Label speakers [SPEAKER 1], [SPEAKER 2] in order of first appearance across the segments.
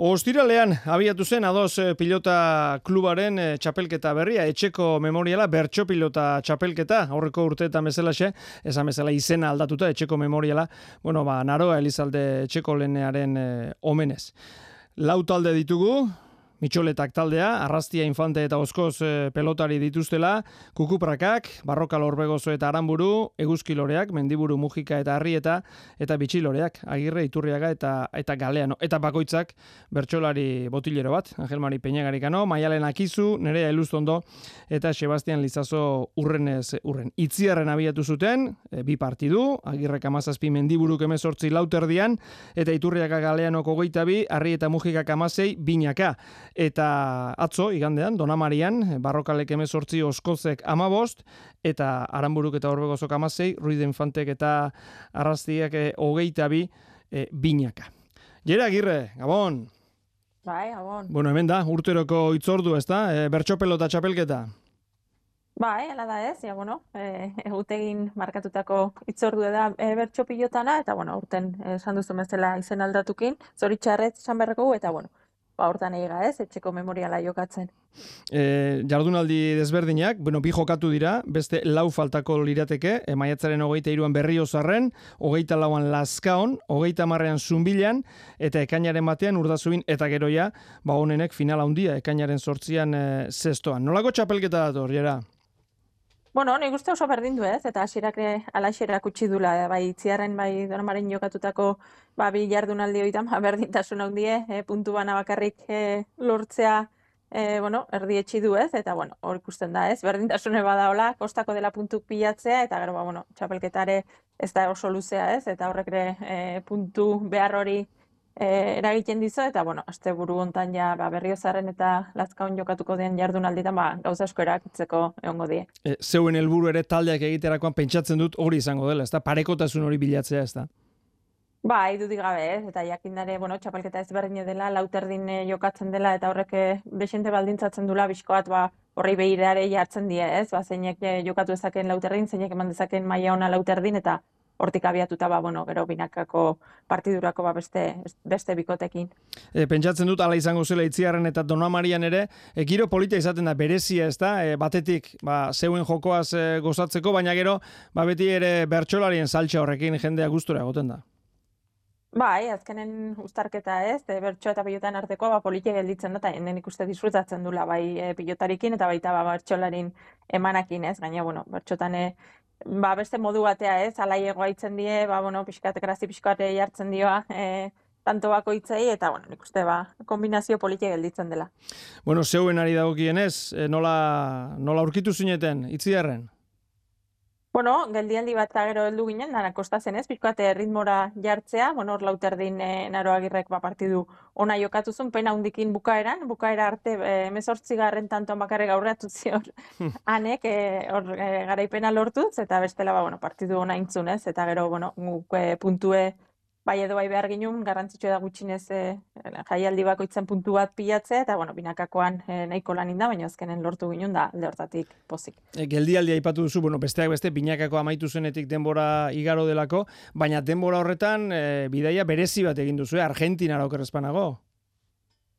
[SPEAKER 1] Ostiralean abiatu zen A2 pilota klubaren txapelketa berria, etxeko memoriala, bertso pilota txapelketa, aurreko urteetan bezalaxe, esan bezala izena aldatuta, etxeko memoriala, Naroa Elizalde etxeko lehenearen omenez. Lau talde ditugu, Mitxoletak taldea, Arrastia Infante eta Oskoz pelotari dituztela, Kukuprakak, Barrokal Orbegozo eta Aranburu, Eguzkiloreak, Mendiburu Mujika eta Arrieta, eta Bitxiloreak, Agirre, Iturriaga eta Galeano. Eta bakoitzak bertsolari botillero bat, Angel Mari Peñagarikano, Maialen Akizu, Nerea Elustondo, eta Sebastian Lizazo urren. Itziarren abiatu zuten, bi partidu, Agirrek 17, Mendiburuk 18 lauterdian, eta Iturriaga Galeanoko 22, Arrieta Mujikak 16, binaka. Eta atzo, igandean, Donamarian, Barrokalek 18, Oskozek 15, eta Aranburuk eta Orbegozok 16, Ruiz Infantek eta Arrastiak 22, binaka. Jera Agirre, Gabon!
[SPEAKER 2] Bai, Gabon.
[SPEAKER 1] Hemen da, urteroko itzordu, ez da? Bertso pelota txapelketa?
[SPEAKER 2] Bai, ala da ez, egutegin markatutako itzordu da bertso pilotana, eta urten esan duzu bezala izen aldatukin, zoritxarrez esan berreko eta hortan eiga ez, etxeko memoriala jokatzen.
[SPEAKER 1] Jardunaldi desberdinak, bi jokatu dira, beste lau faltako lirateke, maiatzaren 23an Berriozarren, 24an Lazkaon, 30an Zunbilan, eta ekainaren batean Urdazubin eta Geroia, honenek finala handia, ekainaren 8an zestoan. Nolako txapelketa dator, Jera?
[SPEAKER 2] Nik uste oso berdin du ez, eta hasierak alaxerak utzi dula, bai Itziarren, bai Donamaren jokatutako bi jardunaldi hoitan, berdintasun handie, puntu bana bakarrik lortzea, erdietsi du ez, eta hor ikusten da ez, berdintasune badaola, kostako dela puntuk pilatzea, eta gero, txapelketare ez da oso luzea ez, eta horrek ere puntu behar hori eragiten dizo, eta asteburu hontan ja Berriozarren eta Lazkaon jokatuko den jardunalditan gauza asko erakitzeko egongo die.
[SPEAKER 1] Zeuen helburu ere taldeak egiterakoan pentsatzen dut hori izango dela, ezta? Parekotasun hori bilatzea, ezta?
[SPEAKER 2] Bai, dudik gabe ez, eta jakindare, txapelketa ezberdine dela, lauterdin jokatzen dela, eta horrek desente baldintzatzen dula bizkoat, horri behirare jartzen die ez, zeinek jokatu ezaken lauterdin, zeinek eman dezaken maila ona lauterdin, eta hortik abiatuta, gero binakako partidurako beste bikotekin.
[SPEAKER 1] Pentsatzen dut, ala izango zela Itziarren eta Donamarian ere, giro polita izaten da, berezia ez da, batetik, zeuen jokoaz gozatzeko, baina gero, beti ere bertsolarien saltxa horrekin jendea gustura egoten da.
[SPEAKER 2] Bai, azkenen uztarketa ez, bertso eta pilotan arteko politia gelditzen da, eta enden ikuste disfrutatzen dula, bai pilotarikin eta baita bertsolarin emanakin ez, gaina, bertxotan beste modu batea ez, alaiegoa itzen die, grazi pixkat jartzen dioa, tanto bakoitzei, eta nik uste kombinazio politia gelditzen dela.
[SPEAKER 1] Zeuen ari dagokienez, nola aurkitu zineten, Itziarren?
[SPEAKER 2] Geldialdi bat gero heldu ginen, dara kostatzen ez, pixkate ritmora jartzea, hor lauterdin Naro Agirrek partidu ona jokatuzun, pena hundikin bukaera arte 18 tantoan bakarrik aurreatu zion hanek, hor garaipena lortuz, eta bestela partidu ona intzun ez, eta gero guk puntue bai edo bai behar ginen, garrantzitsua da gutxinez jaialdi bakoitzen puntu bat pilatzea, eta binakakoan nahiko lan inda, baina azkenen lortu ginen da alde hortatik pozik.
[SPEAKER 1] Geldialdia aipatu duzu, besteak beste, binakako amaitu zenetik denbora igaro delako, baina denbora horretan bidaia berezi bat egin duzu, Argentinara okerrezpanago?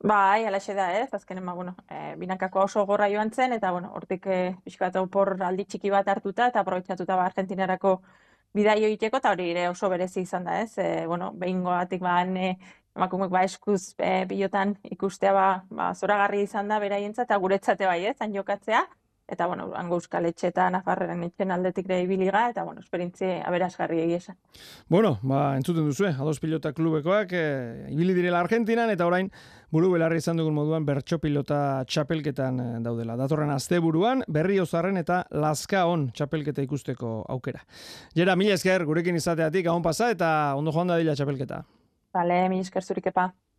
[SPEAKER 2] Bai, alaxe da ez, azkenen binakako oso gorra joan zen, eta hortik pixkat opor aldi txiki bat hartuta, eta aprobetxatuta Argentinarako bidaio egiteko, eta hori ere oso berezi izan da ez, behingoatik emakumeek eskuz pilotan ikustea zoragarri izan da beraientza, eta guretzate bai ez, han jokatzea, eta hango Euskal Etxe eta Nafarren etxen aldetik ere ibiliga, eta esperintzi aberasgarri egia esan.
[SPEAKER 1] Entzuten duzu, A2 pilota klubekoak, ibili direla Argentinan, eta orain buru belarri izan dugun moduan bertso pilota txapelketan daudela. Datorren asteburuan Berriozarren eta Lazkaon txapelketa ikusteko aukera. Jera, mila esker gurekin izateatik, gabon pasa, eta ondo joan dadila txapelketa.
[SPEAKER 2] Bale, mila esker zurik epa.